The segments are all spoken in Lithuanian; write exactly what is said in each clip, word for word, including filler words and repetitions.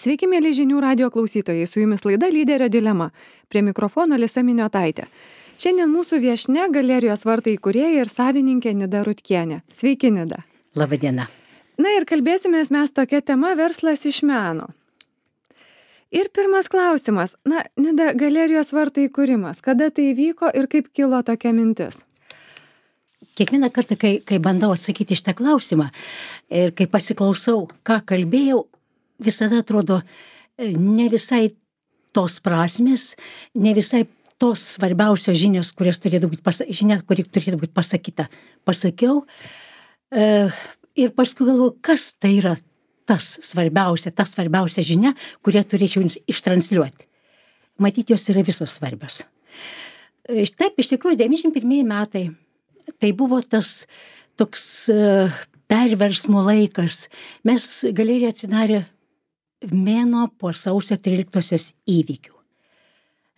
Sveiki, mėly žinių radio klausytojai, su jumis laida Lyderio dilema. Prie mikrofono Lisa Miniotaitė. Šiandien mūsų viešnia Galerijos vartai įkūrėja ir savininkė Nida Rutkienė. Sveiki, Nida. Labadiena. Na ir kalbėsimės mes tokia tema verslas iš meno. Ir pirmas klausimas. Na, Nida, Galerijos vartai įkūrimas. Kada tai įvyko ir kaip kilo tokia mintis? Kiekvieną kartą, kai, kai bandau atsakyti šitą klausimą ir kai pasiklausau, ką kalbėjau, visada atrodo ne visai tos prasmės, ne visai tos svarbiausios žinios, kurias turėtų būti, pasa- žinia, kuri turėtų būti pasakyta. Pasakiau e, ir paskui galvoju, kas tai yra tas svarbiausia, ta svarbiausia žinia, kurią turėčiau jums ištransliuoti. Matyt, jos yra visos svarbios. E, Taip, iš tikrųjų, devyniasdešimt pirmieji metai. Tai buvo tas toks uh, perversmo laikas. Mes Galerija atsidarė mėnuo po sausio tryliktosios įvykių.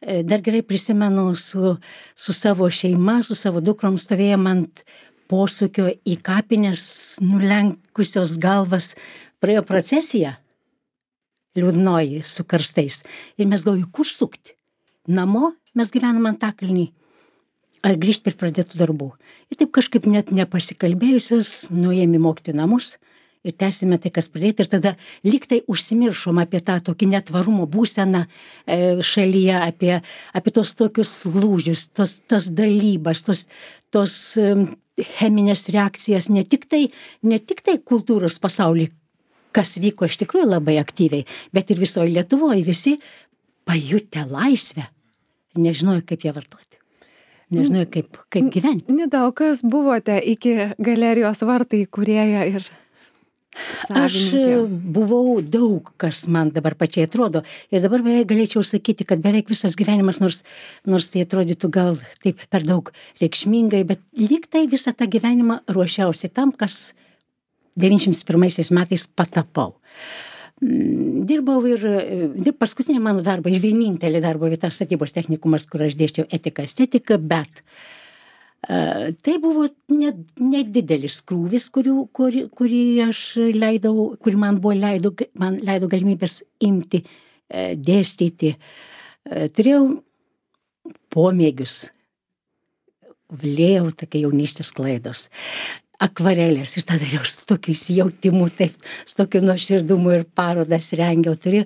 E, Dar gerai prisimenu, su, su savo šeima, su savo dukrom stovėjom ant posūkio į kapines, nulenkusios galvas, praėjo procesija liūdnoji su karstais. Ir mes galvojom, kur sukti? Namo mes gyvenam Antakalny. Ar grįžti ir pradėtų darbų. Ir taip kažkaip net nepasikalbėjusios, nuėjom į mokytojų namus ir tęsime tai, kas pradėti. Ir tada lyg tai užsimiršom apie tą tokį netvarumo būseną e, šalyje, apie, apie tos tokius lūžius, tos, tos dalybas, tos, tos e, cheminės reakcijas, ne tik tai, ne tik tai kultūros pasaulyje, kas vyko iš tikrųjų labai aktyviai, bet ir visoje Lietuvoje visi pajutę laisvę, nežinojo, kaip ją vartoti. Nežinau, kaip, kaip gyventi. Nida, o kas buvote iki Galerijos vartai įkūrėja ir savininkė? Aš buvau daug, kas man dabar pačiai atrodo. Ir dabar beveik galėčiau sakyti, kad beveik visas gyvenimas, nors, nors tai atrodytų gal taip per daug reikšmingai, bet lyg tai visą tą gyvenimą ruošiausi tam, kas devyniasdešimt pirmaisiais metais patapau. Dirbau ir, ir paskutinė mano darba ir vienintelė darbo vieta statybos technikumas, kur aš dėsčiau etiką, estetiką, bet uh, tai buvo nedidelis krūvis, kurių, kurį, kurį aš leidau, kurį man buvo leido, man leido galimybės imti, uh, dėstyti. Uh, turėjau pomėgius, vlėjau tokia jaunystės klaidos. Akvarelės ir tą dariau su tokiu įsijautimu, taip, su tokiu nuoširdumu ir parodas rengiau. Turėjau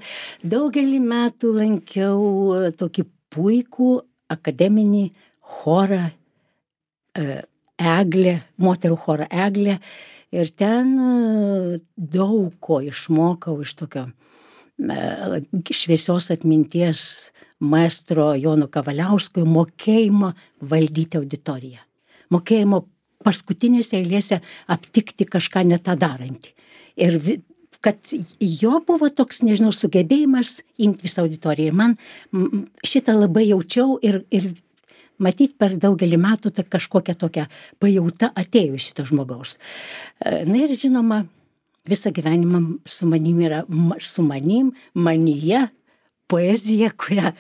daugelį metų lankiau tokį puikų akademinį chorą Eglė, moterų chorą Eglė ir ten daug ko išmokau iš tokio šviesios atminties maestro Jono Kavaliausko mokėjimo valdyti auditoriją. Mokėjimo paskutinėse eilėse aptikti kažką ne tą darantį. Ir vi, kad jo buvo toks, nežinau, sugebėjimas imti visą auditoriją. Ir man m, šitą labai jaučiau ir, ir matyt per daugelį metų ta kažkokia tokia pajauta atėjo iš šito žmogaus. Na ir žinoma, visą gyvenimą su manim yra, su manim, manyje, poezija, kurią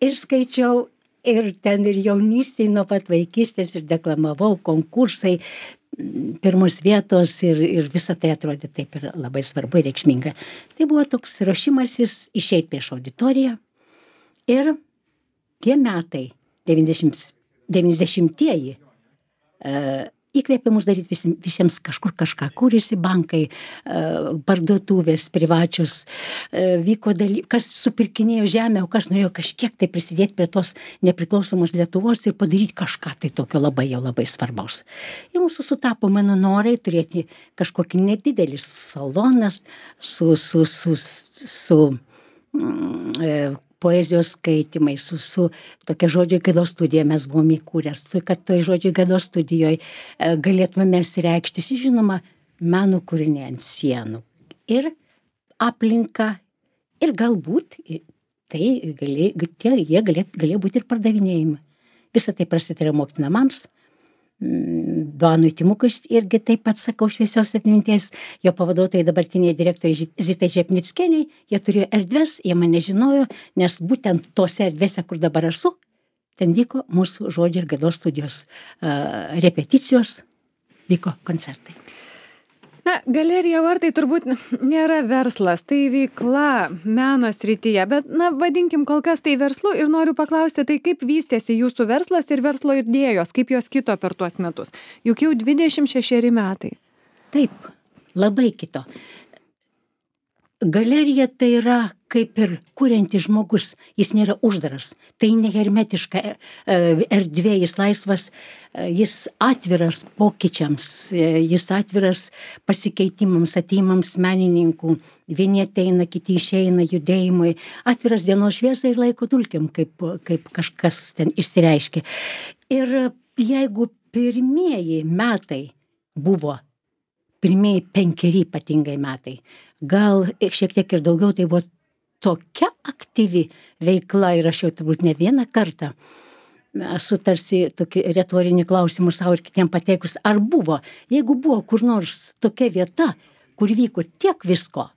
ir skaičiau, ir ten ir jaunystėje nuo pat vaikystės ir deklamavau, konkursai, pirmos vietos ir, ir visą tai atrodė taip ir labai svarbu ir reikšminga. Tai buvo toks rašymasis išeit prieš auditoriją ir tie metai, devyniasdešimtieji, uh, įkvėpė mus daryti vis, visiems kažkur kažką, kūrėsi bankai, uh, parduotuvės privačios, uh, vyko daly, kas supirkinėjo žemę, o kas norėjo kažkiek tai prisidėti prie tos nepriklausomos Lietuvos ir padaryti kažką tai tokio labai jau labai svarbaus. Ir mūsų sutapo mano norai turėti kažkokį nedidelį saloną su, su, su, su, su mm, poezijos skaitimai, su, su tokia žodžio gaidos studija mes buvom įkūręs, kad toj žodžio gaidos studijoje galėtume mes reikštis, žinoma, meno kūriniai ant sienų. Ir aplinka, ir galbūt tai galė, tie, jie galė, galėjo būti ir pardavinėjimai. Visą tai prasidėjo mokytojų namams. Duanui Timukui irgi taip pat sakau šviesios atminties, jo pavaduotojai dabartiniai direktoriai Zitai Žepnickienei, jie turėjo erdves, jie mane žinojo, nes būtent tose erdvėse, kur dabar esu, ten vyko mūsų žodžio ir gaidos studijos uh, repeticijos, vyko koncertai. Na, galerija vartai turbūt nėra verslas, tai veikla meno srityje, bet, na, vadinkim kol kas tai verslu ir noriu paklausti, tai kaip vystėsi jūsų verslas ir verslo idėjos, kaip jos kito per tuos metus? Juk jau dvidešimt šešeri metai. Taip, labai kito. Galerija tai yra kaip ir kuriantis žmogus, jis nėra uždaras, tai ne hermetiška erdvė, jis laisvas, jis atviras pokyčiams, jis atviras pasikeitimams, ateimams menininkų, vieni ateina, kiti išeina judėjimui, atviras dienos šviesai ir laiko dulkiam, kaip, kaip kažkas ten išsireiškia. Ir jeigu pirmieji metai buvo, pirmieji penkeri ypatingai metai, gal šiek tiek ir daugiau, tai buvo tokia aktyvi veikla ir aš jau turbūt ne vieną kartą esu tarsi tokį retorinį klausimą savo ir kitiem pateikus, ar buvo, jeigu buvo kur nors tokia vieta, kur vyko tiek visko,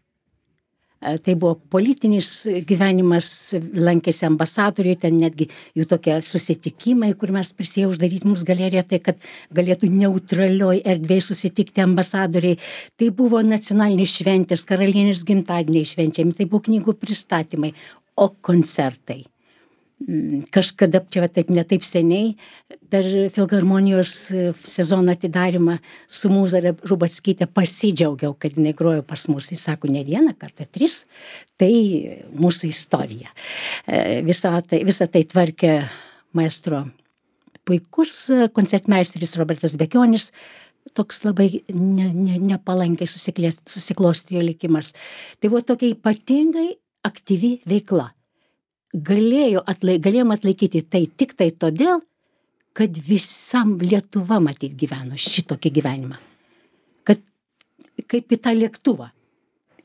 tai buvo politinis gyvenimas, lankėsi ambasadoriai, ten netgi jų tokie susitikimai, kur mes prisėjau uždaryti mums galeriją, tai kad galėtų neutralioj erdvėj susitikti ambasadoriai. Tai buvo nacionalinės šventės, karalienės gimtadieniai švenčiami, tai buvo knygų pristatymai, o koncertai. Kažkada, čia taip ne taip seniai, per Filharmonijos sezono atidarymą su Mūza Rubackyte pasidžiaugiau, kad jinai grojo pas mus. Jis sako, ne vieną kartą, tris, tai mūsų istorija. Visą tai, visą tai tvarkė maestro puikus koncertmeisteris Robertas Bekionis, toks labai ne, ne, nepalankiai susiklostė likimas. Tai buvo tokia ypatingai aktyvi veikla. Galėjo atlaik, galėjom atlaikyti tai tik tai todėl, kad visam Lietuva matyt gyveno šitokį gyvenimą. Kad kaip į tą lėktuvą.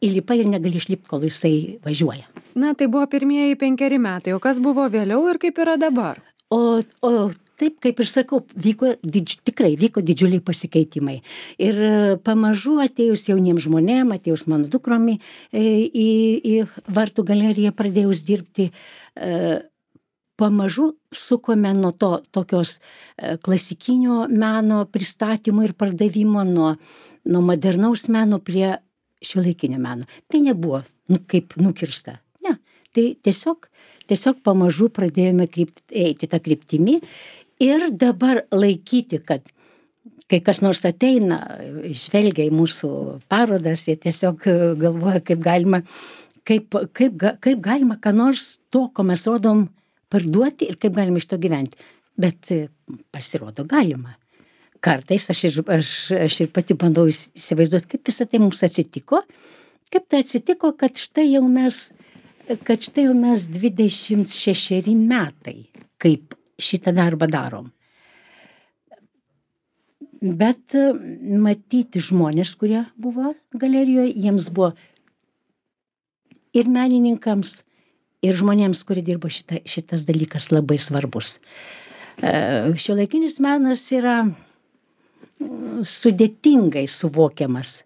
Įlipa ir negali išlipti, kol jisai važiuoja. Na, tai buvo pirmieji penkeri metai, o kas buvo vėliau ir kaip yra dabar? O, o taip, kaip ir sakau, vyko, didž, tikrai vyko didžiuliai pasikeitimai. Ir pamažu atėjus jauniems žmonėm, atėjus mano dukromi į, į Vartų galeriją pradėjus dirbti, pamažu sukome nuo to tokios klasikinio meno pristatymo ir pardavimo, nuo, nuo modernaus meno prie šiuolaikinio meno. Tai nebuvo nu, kaip nukirsta. Ne, tai tiesiog, tiesiog pamažu pradėjome krypti, eiti tą kryptimį. Ir dabar laikyti, kad kai kas nors ateina, žvelgia į mūsų parodas, jie tiesiog galvoja, kaip galima, kaip, kaip, kaip galima ką nors to, ko mes rodom, parduoti ir kaip galima iš to gyventi. Bet pasirodo galima. Kartais aš ir, aš, aš ir pati bandau įsivaizduoti, kaip visą tai mums atsitiko, kaip tai atsitiko, kad štai jau mes, kad štai jau mes dvidešimt šešeri metai, kaip šitą darbą darom. Bet matyti žmonės, kurie buvo galerijoje, jiems buvo ir menininkams, ir žmonėms, kurie dirbo šita, šitas dalykas labai svarbus. Šiuolaikinis menas yra sudėtingai suvokiamas.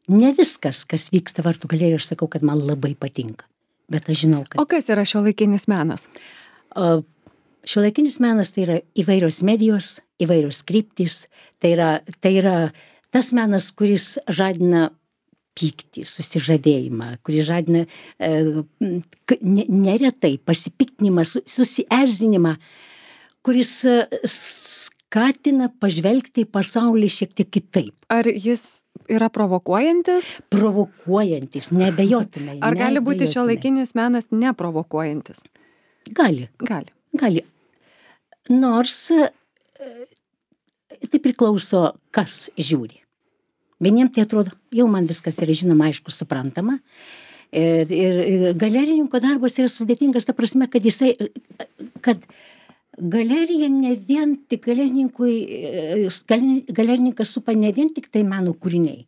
Ne viskas, kas vyksta Vartų galerijoje, aš sakau, kad man labai patinka. Bet aš žinau, kad... O kas yra šiuolaikinis menas? O, Šiuolaikinis menas tai yra įvairios medijos, įvairios kryptys, tai yra, tai yra tas menas, kuris žadina pyktį, susižavėjimą, kuris žadina e, neretai pasipiktinimą, susierzinimą, kuris skatina pažvelgti į pasaulį šiek tiek kitaip. Ar jis yra provokuojantis? Provokuojantis, neabejotinai. Ar gali būti šiuolaikinis menas neprovokuojantis? Gali. Gali. Gali. Nors tai priklauso, kas žiūri. Vieniems tai atrodo, jau man viskas yra žinoma, aišku, suprantama. Ir, ir galerininko darbas yra sudėtingas, ta prasme, kad jisai, kad galerija ne vien tik galerininkui, galerininkas supa ne vien tik tai meno kūriniai.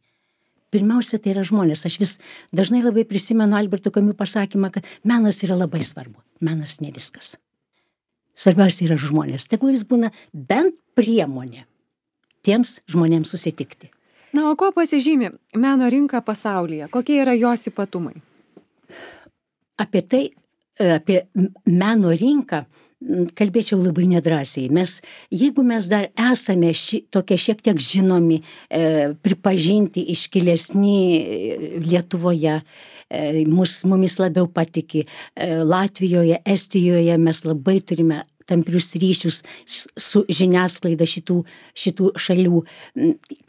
Pirmiausia, tai yra žmonės. Aš vis dažnai labai prisimenu Alberto Camus pasakymą, kad menas yra labai svarbu. Menas ne viskas. Svarbiausia yra žmonės. Tegul jis būna bent priemonė tiems žmonėms susitikti. Na, o kuo pasižymi meno rinka pasaulyje? Kokie yra jos ypatumai? Apie tai, apie meno rinką kalbėčiau labai nedrąsiai. Mes, jeigu mes dar esame ši, tokie šiek tiek žinomi, e, pripažinti, iškilesni Lietuvoje, e, mus, mumis labiau patiki, e, Latvijoje, Estijoje mes labai turime tamprius ryšius su žiniasklaida šitų, šitų šalių,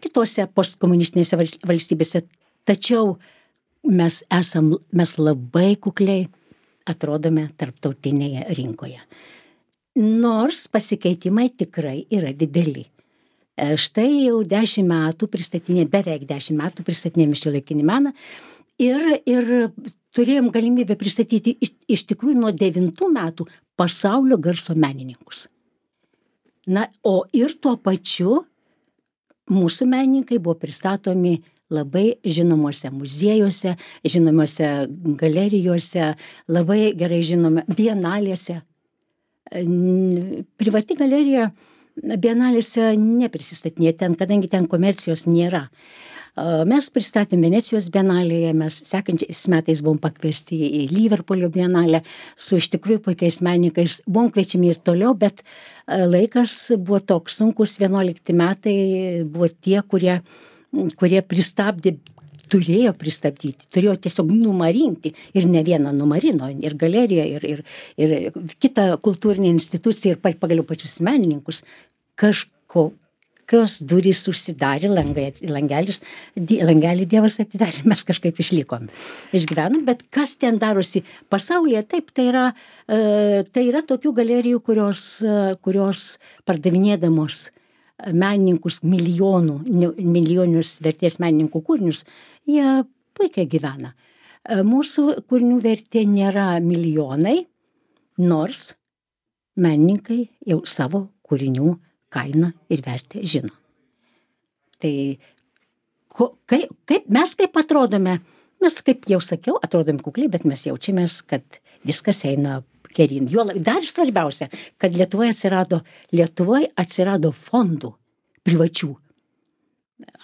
kitose postkomunistinėse valstybėse. Tačiau mes esam, mes labai kukliai atrodome tarptautinėje rinkoje. Nors pasikeitimai tikrai yra dideli. Štai jau dešimt metų pristatinė, beveik dešimt metų pristatinėjame šiuolaikinį meną ir, ir turėjom galimybę pristatyti iš, iš tikrųjų nuo devintų metų pasaulio garso menininkus. Na, o ir tuo pačiu mūsų menininkai buvo pristatomi labai žinomose muziejuose, žinomose galerijose, labai gerai žinome bienalėse. Privati galerija bienalėse neprisistatinėja ten, kadangi ten komercijos nėra. Mes pristatėm Venecijos bienalėje, mes sekančiais metais buvom pakviesti į Liverpoolio bienalę su iš tikrųjų puikiais menininkais, buvom kviečiami ir toliau, bet laikas buvo toks sunkus, vienuolikti metai buvo tie, kurie, kurie pristabdė, turėjo pristabdyti, turėjo tiesiog numarinti ir ne vieną numarino, ir galeriją, ir, ir, ir kitą kultūrinę instituciją, ir pagaliau pačius menininkus. Kažko, kas durys užsidarė, langai, langelis, langelį Dievas atidarė, mes kažkaip išlikom, išgyvenom, bet kas ten darosi pasaulyje, taip, tai yra, tai yra tokių galerijų, kurios, kurios pardavinėdamos menininkus milijonų, milijoninius vertės menininkų kūrinius, jie puikiai gyvena. Mūsų kūrinių vertė nėra milijonai, nors menininkai jau savo kūrinių kainą ir vertę žino. Tai ko, kaip, kaip mes kaip atrodome, mes kaip jau sakiau, atrodom kukliai, bet mes jaučiamės, kad viskas eina geryn. Jo, dar svarbiausia, kad Lietuvoje atsirado, Lietuvoje atsirado fondų privačių.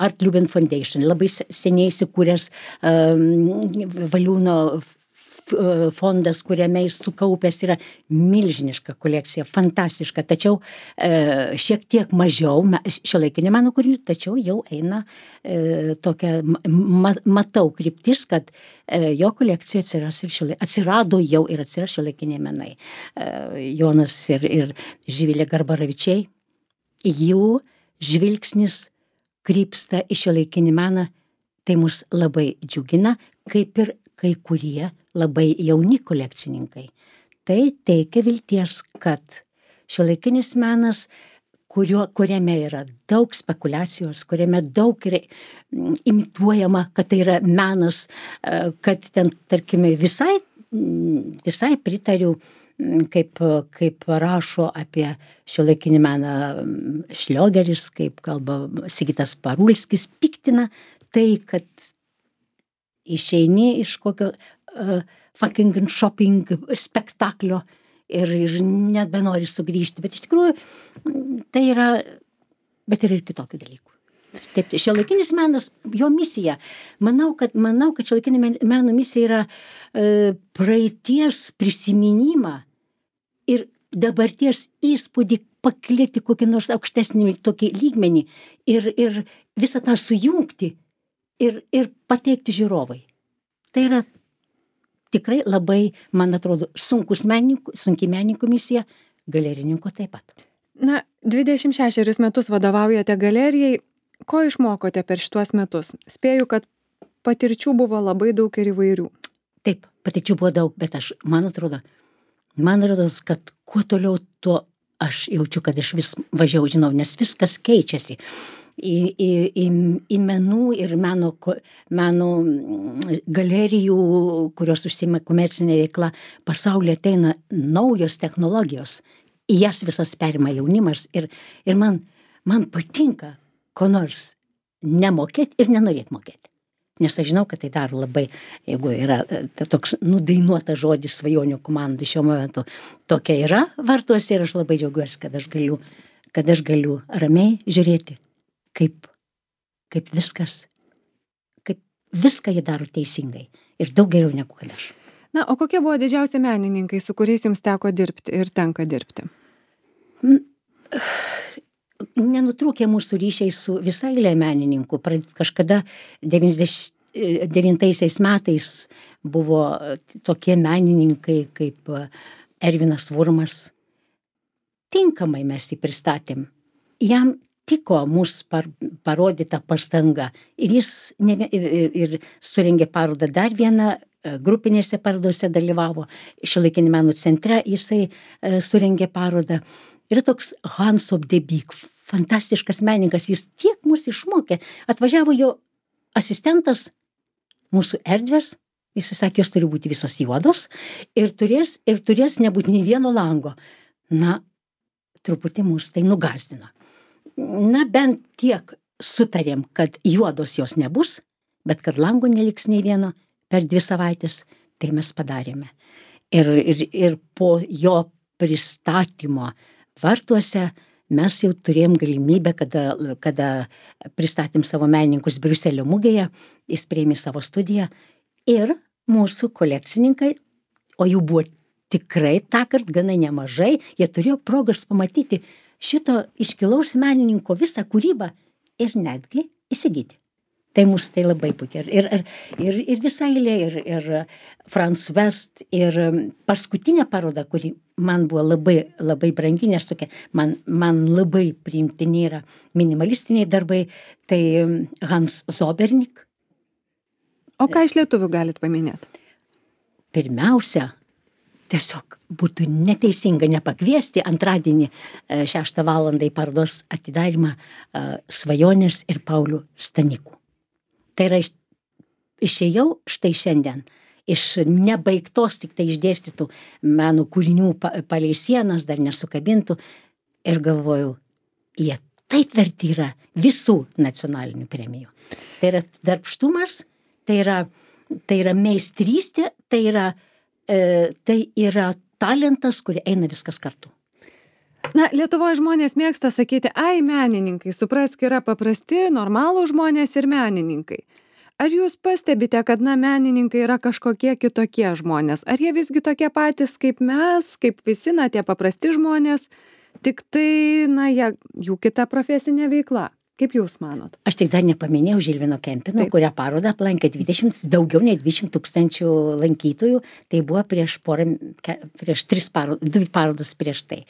Art Luben Foundation, labai seniai įsikūręs um, Valiūno fondas, kuriame jis sukaupęs yra milžiniška kolekcija, fantastiška, tačiau e, šiek tiek mažiau šiuolaikinio meno kūrinių, tačiau jau eina e, tokia, ma, matau kryptis, kad e, jo kolekcijoje atsiras ir šiuolai, atsirado jau ir atsiras šiuolaikiniai menai. E, Jonas ir, ir Živilė Garbaravičiai, jų žvilgsnis krypsta į šiuolaikinį meną, tai mus labai džiugina, kaip ir kai kurie labai jauni kolekcininkai. Tai teikia vilties, kad šiuolaikinis menas, kurio, kuriame yra daug spekulacijos, kuriame daug yra imituojama, kad tai yra menas, kad ten, tarkime, visai, visai pritariu, kaip, kaip rašo apie šiuolaikinį meną Šliogeris, kaip kalba Sigitas Parulskis, piktina tai, kad išeini iš kokio uh, fucking shopping spektaklio ir, ir net benori sugrįžti, bet iš tikrųjų tai yra, bet yra ir kitokių dalykų. Taip, šiuolaikinis menas, jo misija, manau, kad, manau, kad šiuolaikinio meno misija yra uh, praeities prisiminimą ir dabarties įspūdį paklėti kokį nors aukštesnį tokį lygmenį ir, ir visą tą sujungti ir, ir pateikti žiūrovai. Tai yra tikrai labai, man atrodo, sunkus menininkų, sunki menininkų misija, galerininko taip pat. Na, dvidešimt šešerius metus vadovaujate galerijai. Ko išmokote per šituos metus? Spėju, kad patirčių buvo labai daug ir įvairių. Taip, patirčių buvo daug, bet aš, man atrodo, man atrodo, kad kuo toliau, tuo aš jaučiu, kad aš vis važiau, žinau, nes viskas keičiasi. Į, į, į, į menų ir meno, meno galerijų, kurios užsiima komercinė veikla, pasaulyje ateina naujos technologijos, į jas visas perima jaunimas ir, ir man, man patinka ko nors nemokėti ir nenorėti mokėti. Nes aš žinau, kad tai daro labai, jeigu yra toks nudainuotas žodis svajonių komandų šiuo momentu, tokia yra vartuose ir aš labai džiaugiuosi, kad aš galiu, kad aš galiu ramiai žiūrėti, kaip, kaip viskas, kaip viską jie daro teisingai ir daug geriau negu kad aš. Na, o kokie buvo didžiausi menininkai, su kuriais jums teko dirbti ir tenka dirbti? Nenutrūkė mūsų ryšiai su visai eilė menininkų. Pra- Kažkada devyniasdešimt devintaisiais metais buvo tokie menininkai kaip Ervinas Vurmas. Tinkamai mes jį pristatėm. Jam tiko mūsų par, parodyta pastanga. Ir jis ne, vie- ir, ir, ir surengė parodą dar vieną, e, grupinėse parodose dalyvavo. Šiuolaikinio meno centre jisai e, surengė parodą. Yra toks Hans Obdebik, fantastiškas menininkas. Jis tiek mus išmokė. Atvažiavo jo asistentas, mūsų erdvės. Jis sakė, jos turi būti visos juodos ir turės, ir turės nebūti nei vieno lango. Na, truputį mus tai nugazdino. Na, bent tiek sutarėm, kad juodos jos nebus, bet kad lango neliks nei vieno per dvi savaitės, tai mes padarėme. Ir, ir, ir po jo pristatymo vartuose mes jau turėjom galimybę, kada, kada pristatėm savo menininkus Briuselio mugėje, jis priėmė savo studiją ir mūsų kolekcininkai, o jų buvo tikrai tąkart gana nemažai, jie turėjo progos pamatyti šito iškilaus menininko visą kūrybą ir netgi įsigyti. Tai mus tai labai puikiai. Ir, ir, ir, ir visai eilė, ir, ir Franz West, ir paskutinė paroda, kuri man buvo labai, labai brangi, nes tokia, man, man labai priimtini yra minimalistiniai darbai, tai Hans Zobernik. O ką iš lietuvių galit paminėti? Pirmiausia, tiesiog būtų neteisinga nepakviesti antradienį e, šeštą valandą į parodos atidarymą e, Svajonės ir Paulių Stanikų. Tai yra, iš- išėjau štai šiandien iš nebaigtos, tik tai išdėstytų meno kūrinių pa- palei sienas, dar nesukabintų, ir galvojau, jie taip verti yra visų nacionalinių premijų. Tai yra darbštumas, tai yra, tai yra meistrystė, tai yra, e, tai yra talentas, kur eina viskas kartu. Na, Lietuvoje žmonės mėgsta sakyti, ai, menininkai, suprask, yra paprasti, normalų žmonės ir menininkai. Ar jūs pastebite, kad, na, menininkai yra kažkokie kitokie žmonės? Ar jie visgi tokie patys kaip mes, kaip visi, na, tie paprasti žmonės, tik tai, na, jie, jų kita profesinė veikla? Kaip jūs manot? Aš tik dar nepaminėjau Žilvino Kempino, Taip. kurią parodą aplankė dvidešimt, daugiau nei dvidešimt tūkstančių lankytojų. Tai buvo prieš porą, ke- prieš tris parodas, dvi parodas prieš tai.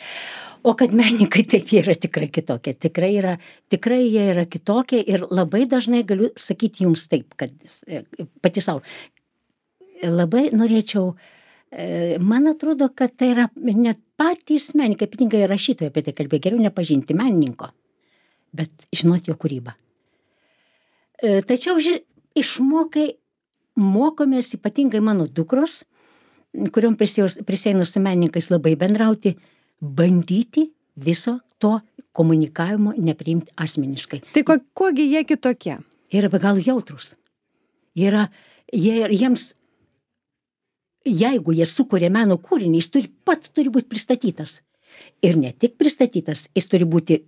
O kad menininkai taip jie yra tikrai kitokie, tikrai yra, tikrai jie yra kitokie ir labai dažnai galiu sakyti jums taip, kad e, pati savo. Labai norėčiau, e, man atrodo, kad tai yra net patys menininkai, ypatingai rašytojai apie tai kalbėjo, geriau nepažinti menininko, bet žinot jo kūrybą. E, Tačiau ži, išmokai, mokomės ypatingai mano dukros, kuriuom prisieinu su menininkais labai bendrauti, bandyti viso to komunikavimo nepriimti asmeniškai. Tai ko, kuogi jie kitokie? Jie yra be galo jautrus. Jie yra, jie, jiems, jeigu jie sukuria meno kūrinį, jis turi, pat turi būti pristatytas. Ir ne tik pristatytas, jis turi būti,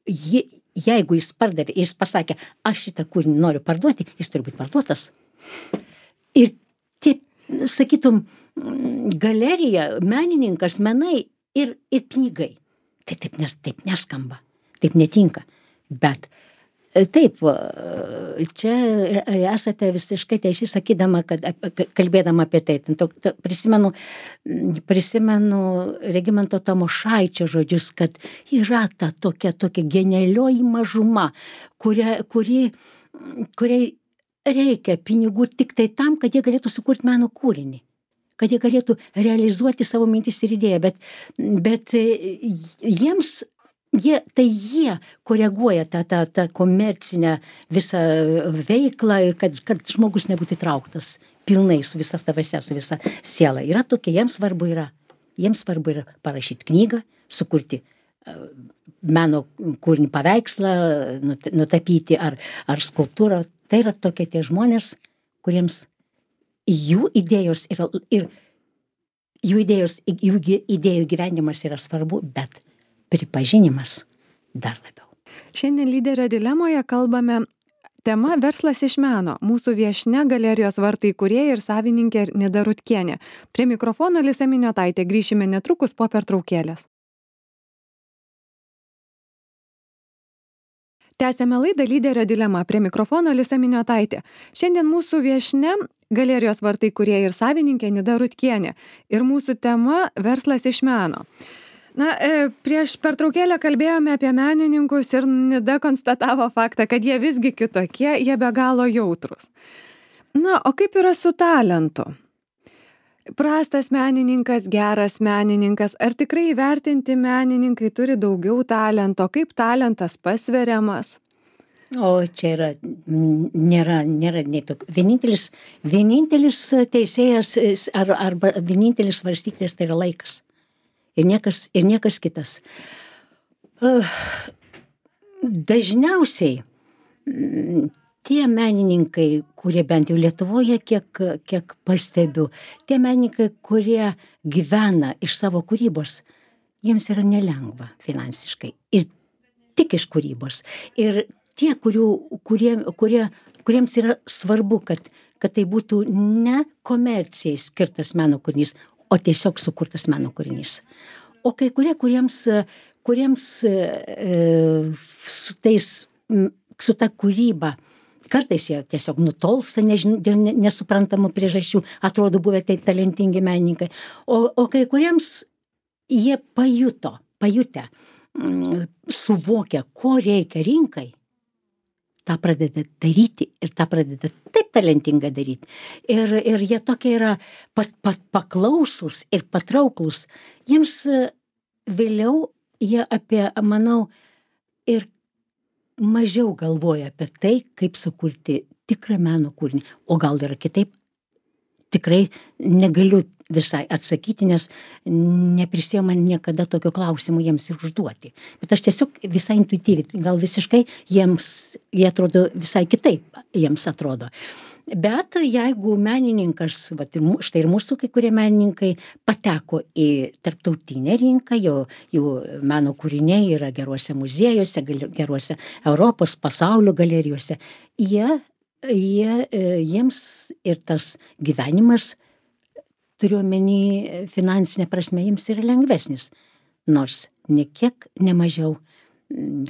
je, jeigu jis pardavė, jis pasakė, aš šitą kūrinį noriu parduoti, jis turi būti parduotas. Ir tie, sakytum, galerija, menininkas, menai ir, ir pinigai. Tai taip, nes, taip neskamba, taip netinka. Bet e, taip, e, čia esate visiškai teisi sakydama, kad ap- kalbėdama apie tai. Ten to- to- Prisimenu, mm, prisimenu Regimanto Tamošaičio žodžius, kad yra ta tokia, tokia genialioji mažuma, kuria, kuri, kuriai reikia pinigų tik tai tam, kad jie galėtų sukurti meno kūrinį, kad jie galėtų realizuoti savo mintis ir idėją, bet, bet e, jiems, jie, tai jie koreguoja tą, tą, tą komercinę visą veiklą ir kad, kad žmogus nebūtų įtrauktas pilnai su visa savase, su visa siela. Yra tokie, jiems svarbu yra, jiems svarbu yra parašyti knygą, sukurti e, meno kūrinį, paveikslą, nut- nutapyti ar, ar skulptūrą. Tai yra tokie tie žmonės, kuriems jų idėjos yra, ir jų idėjos, jų gi- idėjų gyvenimas yra svarbu, bet pripažinimas dar labiau. Šiandien lyderio dilemoje kalbame tema verslas iš meno. Mūsų viešnia galerijos Vartai įkūrėja ir savininkė Nida Rutkienė. Prie mikrofono Alisa Miniotaitė. Grįšime netrukus po pertraukėlės. Tęsėme laidą Lyderio dilema. Prie mikrofono Alisa Miniotaitė. Šiandien mūsų viešnia galerijos Vartai įkūrėja ir savininkė Nida Rutkienė. Ir mūsų tema verslas iš meno. Na, prieš pertraukėlę kalbėjome apie menininkus ir Nida konstatavo faktą, kad jie visgi kitokie, jie be galo jautrus. Na, o kaip yra su talentu? Prastas menininkas, geras menininkas, ar tikrai įvertinti menininkai turi daugiau talento, kaip talentas pasveriamas? O čia yra, nėra, nėra nei tokių. Vienintelis, vienintelis teisėjas ar, arba vienintelis svarstyklis tai yra laikas. Ir niekas, ir niekas kitas. Dažniausiai tie menininkai, kurie bent jau Lietuvoje, kiek, kiek pastebiu, tie menininkai, kurie gyvena iš savo kūrybos, jiems yra nelengva finansiškai. Ir tik iš kūrybos. Ir tie, kurių, kurie, kurie, kuriems yra svarbu, kad, kad tai būtų ne komercijai skirtas meno kūrinys, o tiesiog sukurtas meno kūrinys. O kai kurie, kuriems, kuriems e, su, tais, su ta kūryba, kartais jie tiesiog nutolsta nežin, dėl nesuprantamų priežasčių, atrodo buvę tai talentingi menininkai, o, o kai kuriems jie pajuto, pajutę, mm, suvokia, ko reikia rinkai, tą pradeda daryti ir tą pradeda taip talentingai daryti. Ir, ir jie tokie yra pat, pat, paklausūs ir patrauklus. Jiems vėliau jie apie, manau, ir mažiau galvoja apie tai, kaip sukurti tikrą meno kūrinį. O gal yra kitaip? Tikrai negaliu visai atsakyti, nes neprisiema niekada tokio klausimo jiems ir užduoti. Bet aš tiesiog visai intuityviai, gal visiškai jiems, jie atrodo visai kitaip, jiems atrodo. Bet jeigu menininkas, vat, štai ir mūsų kai kurie menininkai pateko į tarptautinę rinką, jo, jų meno kūriniai yra geruose muziejuose, geruose Europos, pasaulio galerijose, jie, jie, jiems ir tas gyvenimas, turiu omeny finansinė prasme, jiems yra lengvesnis, nors ne kiek nemažiau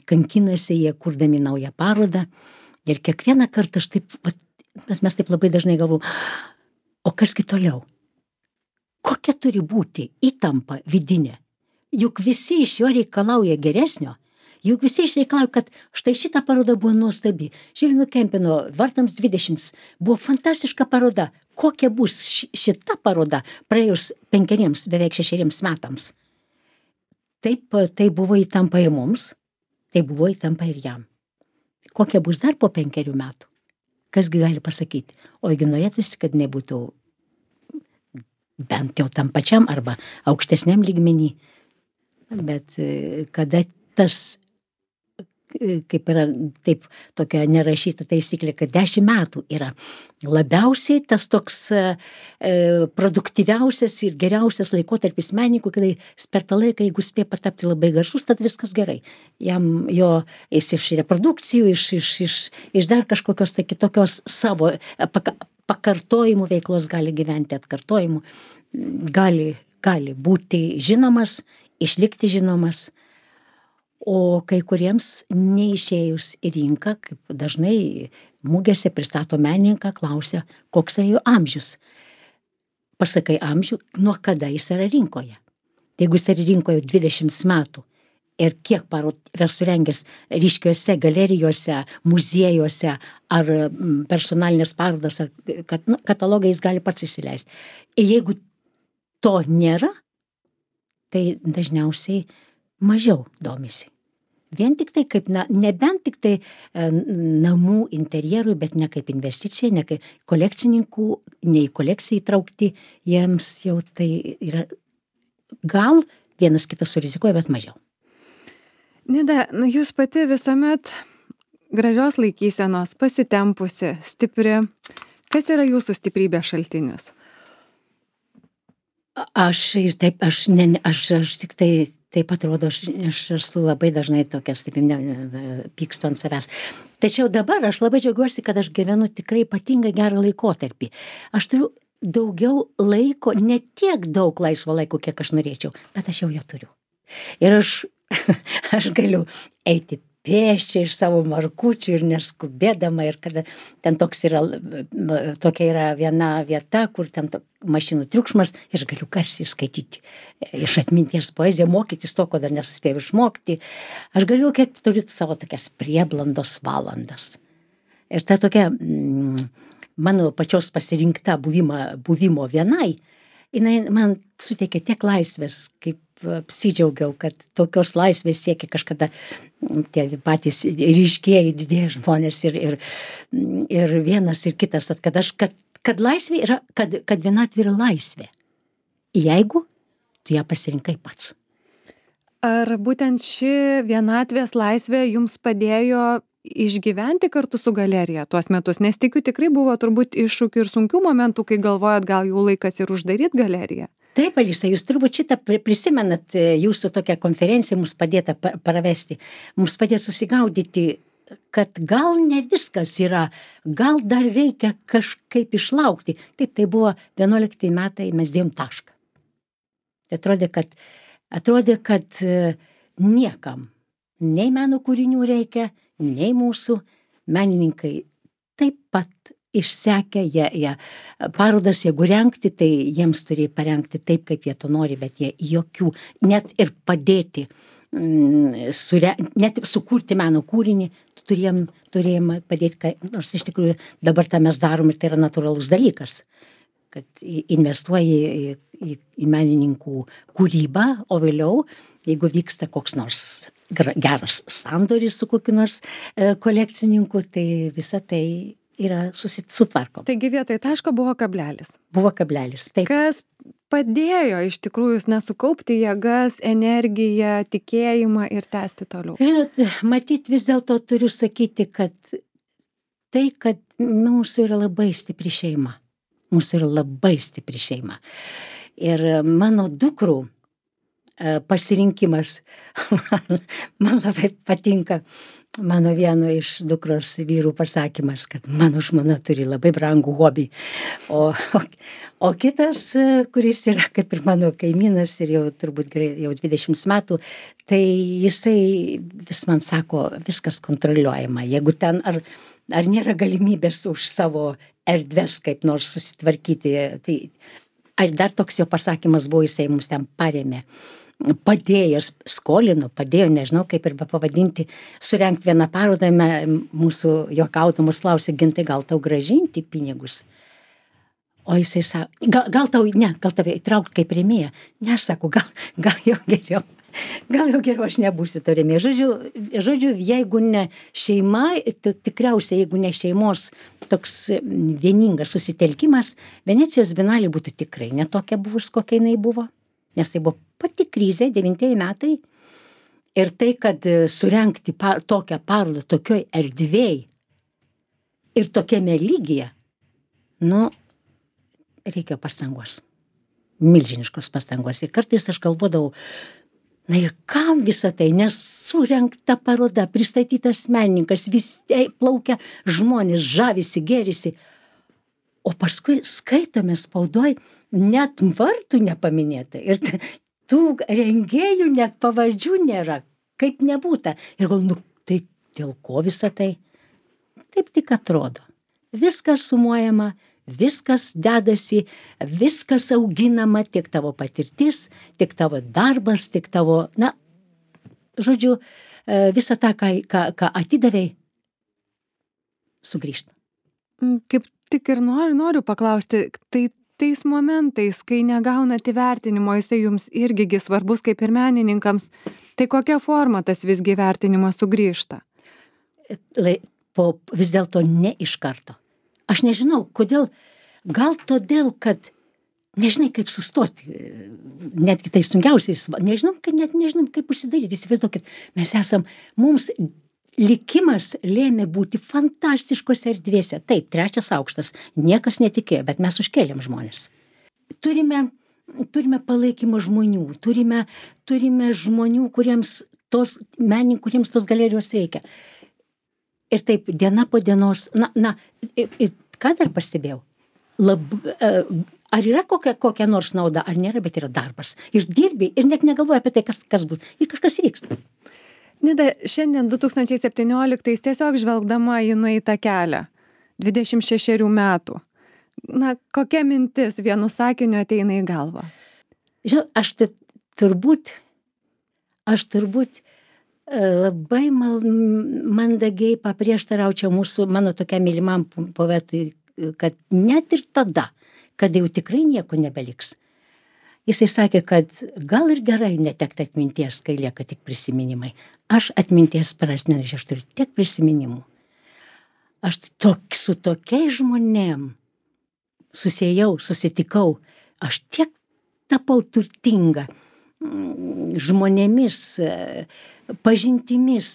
kankinasi jie kurdami naują parodą ir kiekvieną kartą aš taip, mes taip labai dažnai galvojam, o kasgi toliau? Kokia turi būti įtampa vidinė? Juk visi iš jo reikalauja geresnio, juk visi išreikalauja, kad štai šita paroda buvo nuostabi. Žilvino Kempino Vartams dvidešimt buvo fantastiška paroda. Kokia bus šita paroda praėjus penkeriems, beveik šešeriems metams? Taip, tai buvo įtampa ir mums, tai buvo įtampa ir jam. Kokia bus dar po penkerių metų? Kasgi gali pasakyti? Ogi norėtųsi, kad nebūtų bent jau tam pačiam arba aukštesniam lygmenį. Bet kada tas, kaip yra taip tokia nerašyta taisyklė, kad dešimt metų yra labiausiai tas toks e, produktyviausias ir geriausias laikotarpis menininkų, kada per tą laiką, jeigu spėja patapti labai garsus, tad viskas gerai. Jam jo, jis iš reprodukcijų, iš, iš, iš, iš dar kažkokios tai kitokios savo paka, pakartojimų veiklos gali gyventi, atkartojimų, gali, gali būti žinomas, išlikti žinomas. O kai kuriems neišėjus į rinką, kaip dažnai mugėse pristato menininką, klausia, koks yra jo amžius. Pasakai amžių, nuo kada jis yra rinkoje. Tai jeigu jis yra rinkoje dvidešimt metų ir kiek parodų yra surengęs ryškiuose galerijose, muziejuose ar personalinės parodas, ar kat, nu, katalogą jis gali pats įsileisti. Ir jeigu to nėra, tai dažniausiai mažiau domisi. Vien tik tai kaip, na, nebent tik tai e, namų interjerui, bet ne kaip investicija, ne kaip kolekcininkų, ne į kolekciją įtraukti, jiems jau tai yra, gal vienas kitas surizikuoja, bet mažiau. Nida, jūs pati visuomet gražios laikysenos, pasitempusi, stipri. Kas yra jūsų stiprybės šaltinis? Aš ir taip, aš, ne, aš, aš tik tai taip atrodo, aš, aš esu labai dažnai tokia, taip, ne, ne, pykstu ant savęs. Tačiau dabar aš labai džiaugiuosi, kad aš gyvenu tikrai ypatingai gerą laikotarpį. Aš turiu daugiau laiko, ne tiek daug laisvo laiko, kiek aš norėčiau, bet aš jau jo turiu. Ir aš, aš galiu eiti pėsčiai iš savo markučių ir neskubėdama, ir kada ten toks yra, tokia yra viena vieta, kur ten to, mašinų triukšmas, ir aš galiu garsiai skaityti iš atminties poeziją, mokytis to, ko dar nesuspėjau išmokti. Aš galiu, kiek turiu savo tokias prieblandos valandas. Ir ta tokia mm, mano pačios pasirinkta buvima, buvimo vienai, jinai man suteikia tiek laisvės, kaip apsidžiaugiau, kad tokios laisvės siekia kažkada tie patys ryškieji didieji žmonės ir, ir, ir vienas ir kitas, kad, aš, kad, kad laisvė yra, kad, kad vienatvė yra laisvė, jeigu tu ją pasirinkai pats. Ar būtent ši vienatvės laisvė jums padėjo išgyventi kartu su galerija tuos metus? Nes tikiu, tikrai buvo turbūt iššūkių ir sunkių momentų, kai galvojat, gal jau laikas ir uždaryti galeriją. Taip, Alisa, jūs turbūt šitą prisimenat, jūsų tokią konferenciją mums padėta pravesti, mums padėjo susigaudyti, kad gal ne viskas yra, gal dar reikia kažkaip išlaukti. Taip, tai buvo vienuolikti metai, mes dėjom tašką. Tai atrodė, kad, atrodė, kad niekam, nei meno kūrinių reikia, nei mūsų menininkai taip pat išsekę, jie, jie parodas, jeigu rengti, tai jiems turi parengti taip, kaip jie to nori, bet jie jokių, net ir padėti, mm, sure, net sukurti meno kūrinį, turėjom, turėjom padėti, nors iš tikrųjų dabar tą mes darom ir tai yra natūralus dalykas, kad investuoji į, į, į menininkų kūrybą, o vėliau, jeigu vyksta koks nors geras sandoris su kokiu nors e, kolekcininku, tai visa tai yra susitvarkom. Taigi vietoj taško buvo kablelis. Buvo kablelis, taip. Kas padėjo iš tikrųjų nesukaupti jėgas, energiją, tikėjimą ir tęsti toliau? Žinot, matyt, vis dėlto turiu sakyti, kad tai, kad mūsų yra labai stipri šeima. Mūsų yra labai stipri šeima. Ir mano dukrų pasirinkimas, man, man labai patinka mano vieno iš dukros vyrų pasakymas, kad mano žmona turi labai brangų hobį. O, o, o kitas, kuris yra kaip ir mano kaimynas ir jau turbūt jau dvidešimt metų, tai jisai vis man sako, viskas kontroliuojama. Jeigu ten ar, ar nėra galimybės už savo erdves kaip nors susitvarkyti, tai ar dar toks jo pasakymas buvo, jisai mums ten parėmė. Padėjo, skolino, padėjo, nežinau kaip ir pavadinti, surengti vieną parodą, mūsų juokaudamas klausė, Gintai, gal tau grąžinti pinigus? O jisai sako, gal, gal tau, ne, gal tave įtraukti kaip rėmėją? Ne, aš sako, gal, gal jau geriau, gal jau geriau aš nebūsiu to rėmėja. Žodžiu, žodžiu, jeigu ne šeima, tikriausiai, jeigu ne šeimos toks vieningas susitelkimas, Venecijos bienalė būtų tikrai netokia buvus, kokia jinai buvo. Nes tai buvo pati krizė, devintieji metai, ir tai, kad surengti par, tokią parodą, tokioj erdvėj ir tokiame lygyje, nu, reikia pastangos, milžiniškos pastangos. Ir kartais aš galvodavau, na ir kam visą tai, nes surengta paroda, pristatytas menininkas, vis plaukia žmonės, žavisi, gėrisi, o paskui skaitome spaudoj, net vardų nepaminėta ir tų rengėjų net pavardžių nėra, kaip nebūta. Ir gal, nu, tai dėl ko visą tai? Taip tik atrodo. Viskas sumuojama, viskas dedasi, viskas auginama, tiek tavo patirtis, tiek tavo darbas, tiek tavo, na, žodžiu, visą tą, ką, ką, ką atidavei, sugrįžta. Kaip tik ir noriu, noriu paklausti, tai tais momentais, kai negaunat įvertinimo, jisai jums irgi svarbus kaip ir menininkams, tai kokia forma tas visgi įvertinimas sugrįžta? Po, vis dėlto ne iš karto. Aš nežinau, kodėl, gal todėl, kad nežinai, kaip sustoti, netgi tai sunkiausiais, nežinom, kad net nežinom, kaip užsidaryti, įsivaizduokit, mes esam, mums likimas lėmė būti fantastiškose erdvėse. Taip, trečias aukštas, niekas netikėjo, bet mes užkėlėm žmonės. Turime turime palaikymą žmonių, turime, turime žmonių, kuriems tos, menininkų, kuriems tos galerijos reikia. Ir taip, diena po dienos, na, na, ir, ir ką dar pastebėjau? Lab, ar yra kokia, kokia nors nauda, ar nėra, bet yra darbas. Ir dirbi, ir net negalvoji apie tai, kas, kas bus. Ir kažkas vyksta. Nida, šiandien du tūkstančiai septynioliktais tiesiog žvelgdama į nueitą kelią, dvidešimt šešerių metų. Na, kokia mintis vienu sakiniu ateina į galvą? Žinau, aš tai turbūt, aš turbūt labai mal, mandagiai paprieštaraučiau mūsų, mano tokia mylimam poetui, kad net ir tada, kada jau tikrai nieko nebeliks. Jisai sakė, kad gal ir gerai netekti atminties, kai lieka tik prisiminimai. Aš atminties prarast nenorėčiau, aš turiu tiek prisiminimų. Aš tok, su tokiais žmonėm susijau, susitikau, aš tiek tapau turtinga žmonėmis, pažintimis,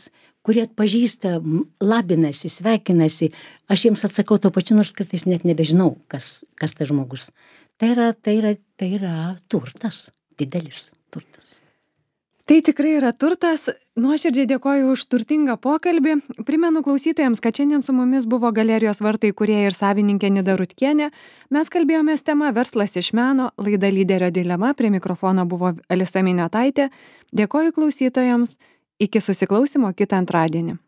kurie atpažįsta, labinasi, sveikinasi. Aš jiems atsakau to pačiu, nors kartais net nebežinau, kas, kas tas žmogus. Tai yra, tai yra, tai yra turtas, didelis turtas. Tai tikrai yra turtas. Nuoširdžiai dėkoju už turtingą pokalbį. Primenu klausytojams, kad šiandien su mumis buvo Galerijos vartai įkūrėja ir savininkė Nida Rutkienė. Mes kalbėjomės tema Verslas iš meno, laida Lyderio dilema. Prie mikrofono buvo Alisa Miniotaitė. Dėkoju klausytojams. Iki susiklausymo kitą antradienį.